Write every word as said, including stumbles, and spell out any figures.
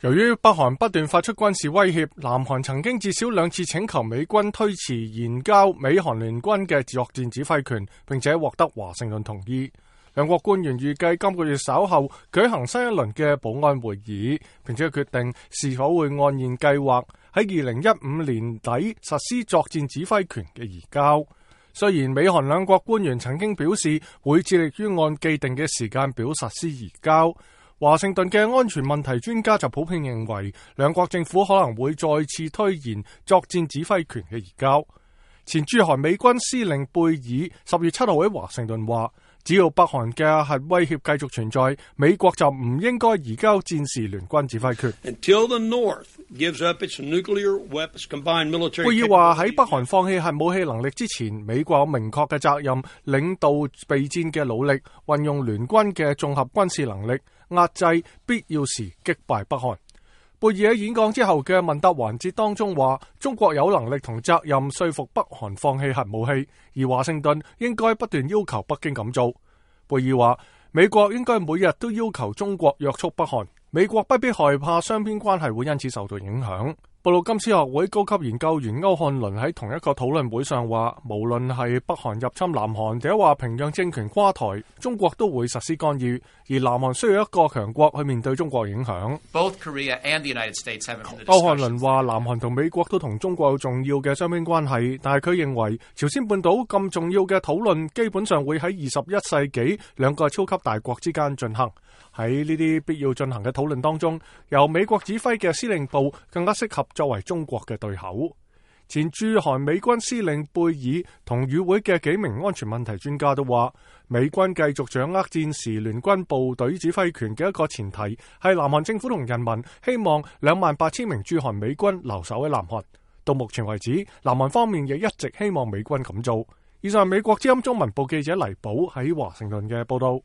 由於北韓不斷發出軍事威脅，南韓曾經至少兩次請求美軍推遲移交美韓聯軍嘅作戰指揮權，並且獲得華盛頓同意。兩國官員預計今個月稍後舉行新一輪嘅保安會議，並且決定是否會按現計劃喺二零一五年底實施作戰指揮權嘅移交。雖然美韓兩國官員曾經表示會致力於按既定嘅時間表實施移交，華盛頓嘅安全問題專家就普遍認為，兩國政府可能會再次推延作戰指揮權嘅移交。前駐韓美軍司令貝爾十月七號喺華盛頓話，只要北韓嘅核威脅繼續存在，美國就唔應該移交戰時聯軍指揮權。貝爾話喺北韓放棄核武器能力之前，美國有明確嘅責任領導備戰嘅努力，運用聯軍嘅綜合軍事能力，壓制必要時擊敗北韓。貝爾喺演講之後嘅問答環節當中話，中國有能力同責任說服北韓放棄核武器，而華盛頓應該不斷要求北京咁做。貝爾話，美國應該每日都要求中國約束北韓，美國不必害怕雙邊關係會因此受到影響。布魯金斯學會高級研究員歐漢倫喺同一個討論會上話，無論係北韓入侵南韓，定係話平壤政權垮台，中國都會實施干預，而南韓需要一個強國去面對中國影響。歐漢倫話，南韓同美國都同中國有重要嘅雙邊關係，但係佢認為朝鮮半島咁重要嘅討論基本上會喺二十一世紀兩個超級大國之間進行。喺呢啲必要進行嘅討論當中，由美國指揮嘅司令部更加適合作為中國嘅對口。前駐韓美軍司令貝爾同與會嘅幾名安全問題專家都話，美軍繼續掌握戰時聯軍部隊指揮權嘅一個前提係南韓政府同人民希望兩萬八千名駐韓美軍留守喺南韓。到目前為止，南韓方面亦一直希望美軍咁做。以上係美國之音中文部記者黎寶喺華盛頓嘅報道。